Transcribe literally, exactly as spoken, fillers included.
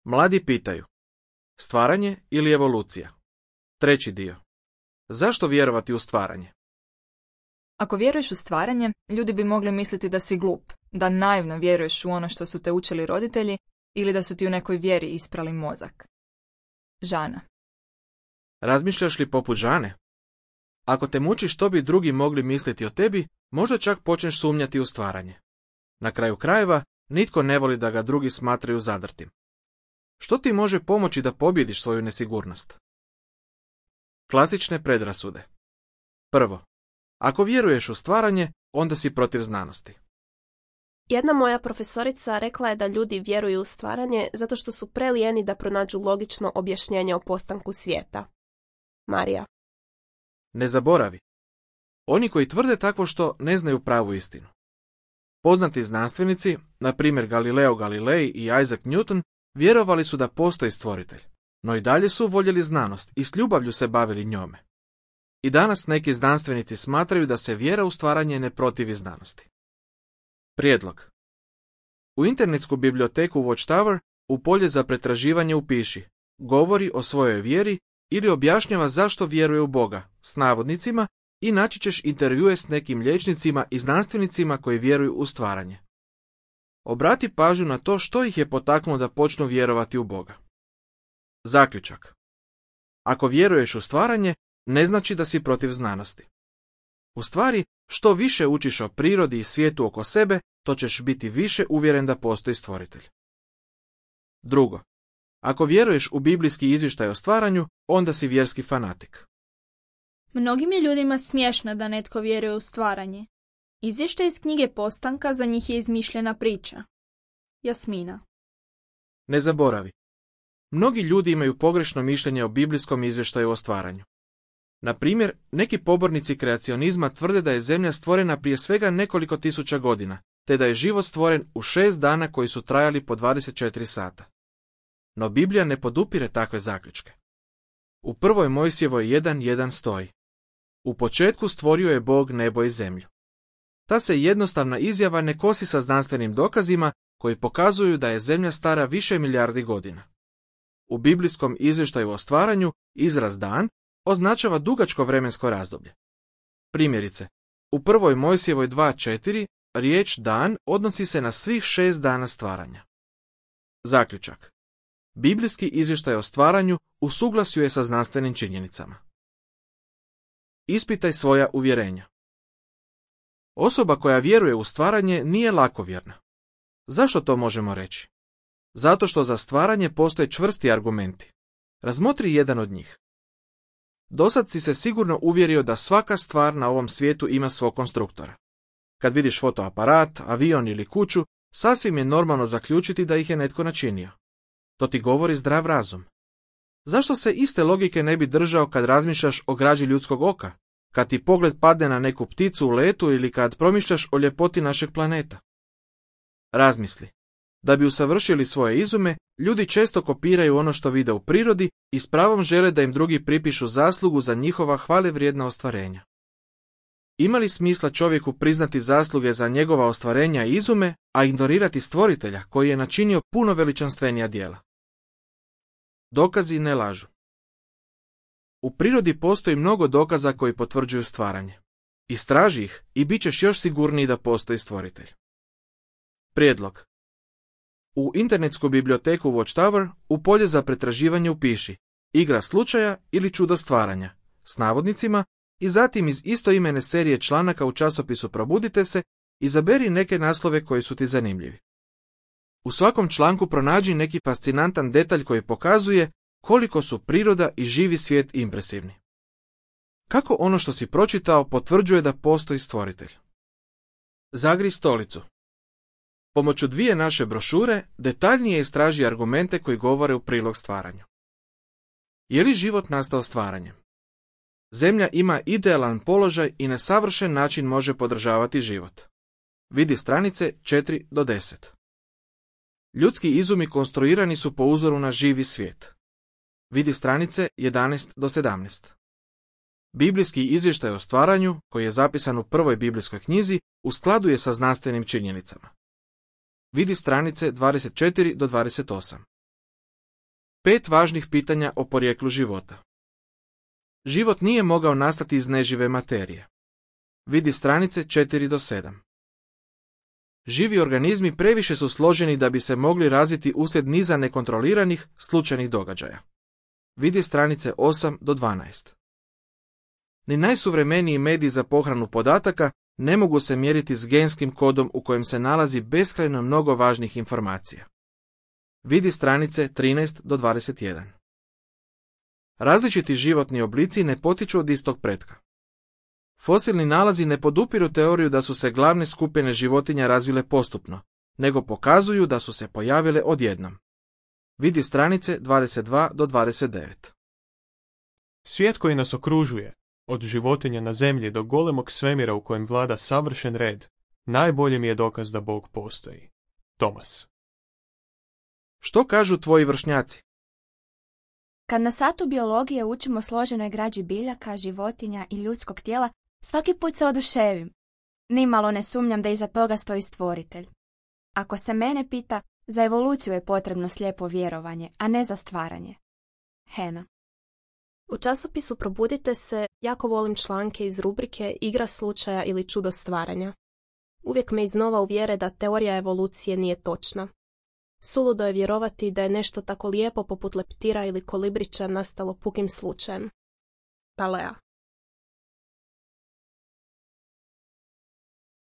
Mladi pitaju: stvaranje ili evolucija? Treći dio. Zašto vjerovati u stvaranje? Ako vjeruješ u stvaranje, ljudi bi mogli misliti da si glup, da naivno vjeruješ u ono što su te učili roditelji ili da su ti u nekoj vjeri isprali mozak. Žana. Razmišljaš li poput Žane? Ako te muči što bi drugi mogli misliti o tebi, možda čak počneš sumnjati u stvaranje. Na kraju krajeva, nitko ne voli da ga drugi smatraju zadrtim. Što ti može pomoći da pobjediš svoju nesigurnost? Klasične predrasude. Prvo, ako vjeruješ u stvaranje, onda si protiv znanosti. Jedna moja profesorica rekla je da ljudi vjeruju u stvaranje zato što su prelijeni da pronađu logično objašnjenje o postanku svijeta. Marija. Ne zaboravi. Oni koji tvrde takvo što ne znaju pravu istinu. Poznati znanstvenici, na primjer Galileo Galilei i Isaac Newton, vjerovali su da postoji stvoritelj, no i dalje su voljeli znanost i s ljubavlju se bavili njome. I danas neki znanstvenici smatraju da se vjera u stvaranje ne protivi znanosti. Prijedlog. U internetsku biblioteku Watchtower u polje za pretraživanje upiši govori o svojoj vjeri ili objašnjava zašto vjeruje u Boga s navodnicima i naći ćeš intervjue s nekim liječnicima i znanstvenicima koji vjeruju u stvaranje. Obrati pažnju na to što ih je potaknulo da počnu vjerovati u Boga. Zaključak. Ako vjeruješ u stvaranje, ne znači da si protiv znanosti. U stvari, što više učiš o prirodi i svijetu oko sebe, to ćeš biti više uvjeren da postoji stvoritelj. Drugo, ako vjeruješ u biblijski izvještaj o stvaranju, onda si vjerski fanatik. Mnogim je ljudima smiješno da netko vjeruje u stvaranje. Izvještaj iz knjige Postanka za njih je izmišljena priča. Jasmina. Ne zaboravi. Mnogi ljudi imaju pogrešno mišljenje o biblijskom izvještaju o stvaranju. Na primjer, neki pobornici kreacionizma tvrde da je zemlja stvorena prije svega nekoliko tisuća godina, te da je život stvoren u šest dana koji su trajali po dvadeset četiri sata. No Biblija ne podupire takve zaključke. U prvoj Mojsijevoj jedan jedan stoji: u početku stvorio je Bog nebo i zemlju. Ta se jednostavna izjava ne kosi sa znanstvenim dokazima koji pokazuju da je zemlja stara više milijardi godina. U biblijskom izvještaju o stvaranju izraz dan označava dugačko vremensko razdoblje. Primjerice, u prvoj Mojsijevoj dva četiri riječ dan odnosi se na svih šest dana stvaranja. Zaključak. Biblijski izvještaj o stvaranju u suglasju je sa znanstvenim činjenicama. Ispitaj svoja uvjerenja. Osoba koja vjeruje u stvaranje nije lakovjerna. Zašto to možemo reći? Zato što za stvaranje postoje čvrsti argumenti. Razmotri jedan od njih. Dosad si se sigurno uvjerio da svaka stvar na ovom svijetu ima svog konstruktora. Kad vidiš fotoaparat, avion ili kuću, sasvim je normalno zaključiti da ih je netko načinio. To ti govori zdrav razum. Zašto se iste logike ne bi držao kad razmišljaš o građi ljudskog oka, kad ti pogled padne na neku pticu u letu ili kad promišljaš o ljepoti našeg planeta? Razmisli. Da bi usavršili svoje izume, ljudi često kopiraju ono što vide u prirodi i s pravom žele da im drugi pripišu zaslugu za njihova hvalevrijedna ostvarenja. Ima li smisla čovjeku priznati zasluge za njegova ostvarenja i izume, a ignorirati stvoritelja koji je načinio puno veličanstvenija djela? Dokazi ne lažu. U prirodi postoji mnogo dokaza koji potvrđuju stvaranje. Istraži ih i bit ćeš još sigurniji da postoji stvoritelj. Prijedlog. U internetsku biblioteku Watchtower u polje za pretraživanje upiši igra slučaja ili čudo stvaranja s navodnicima i zatim iz istoimene serije članaka u časopisu Probudite se izaberi neke naslove koji su ti zanimljivi. U svakom članku pronađi neki fascinantan detalj koji pokazuje koliko su priroda i živi svijet impresivni. Kako ono što si pročitao potvrđuje da postoji stvoritelj? Zagri stolicu. Pomoću dvije naše brošure detaljnije istraži argumente koji govore u prilog stvaranju. Je li život nastao stvaranjem? Zemlja ima idealan položaj i na savršen način može podržavati život. Vidi stranice četiri do deset. Ljudski izumi konstruirani su po uzoru na živi svijet. Vidi stranice jedanaest do sedamnaest. Biblijski izvještaj o stvaranju, koji je zapisan u prvoj biblijskoj knjizi, u skladu je sa znanstvenim činjenicama. Vidi stranice dvadeset četiri do dvadeset osam. Pet važnih pitanja o porijeklu života. Život nije mogao nastati iz nežive materije. Vidi stranice četiri do sedam. Živi organizmi previše su složeni da bi se mogli razviti uslijed niza nekontroliranih, slučajnih događaja. Vidi stranice osam do dvanaest. Ni najsuvremeniji mediji za pohranu podataka ne mogu se mjeriti s genskim kodom u kojem se nalazi beskrajno mnogo važnih informacija. Vidi stranice trinaest do dvadeset jedan. Različiti životni oblici ne potiču od istog pretka. Fosilni nalazi ne podupiru teoriju da su se glavne skupine životinja razvile postupno, nego pokazuju da su se pojavile odjednom. Vidi stranice dvadeset dva do dvadeset devet. Svijet koji nas okružuje, od životinja na zemlji do golemog svemira u kojem vlada savršen red, najbolji mi je dokaz da Bog postoji. Thomas. Što kažu tvoji vršnjaci? Kad na satu biologije učimo složenoj građi biljaka, životinja i ljudskog tijela, svaki put se oduševim. Nimalo ne sumnjam da iza toga stoji stvoritelj. Ako se mene pita, za evoluciju je potrebno slijepo vjerovanje, a ne za stvaranje. Hena. U časopisu Probudite se jako volim članke iz rubrike Igra slučaja ili čudo stvaranja. Uvijek me iznova uvjere da teorija evolucije nije točna. Suludo je vjerovati da je nešto tako lijepo poput leptira ili kolibrića nastalo pukim slučajem. Talea.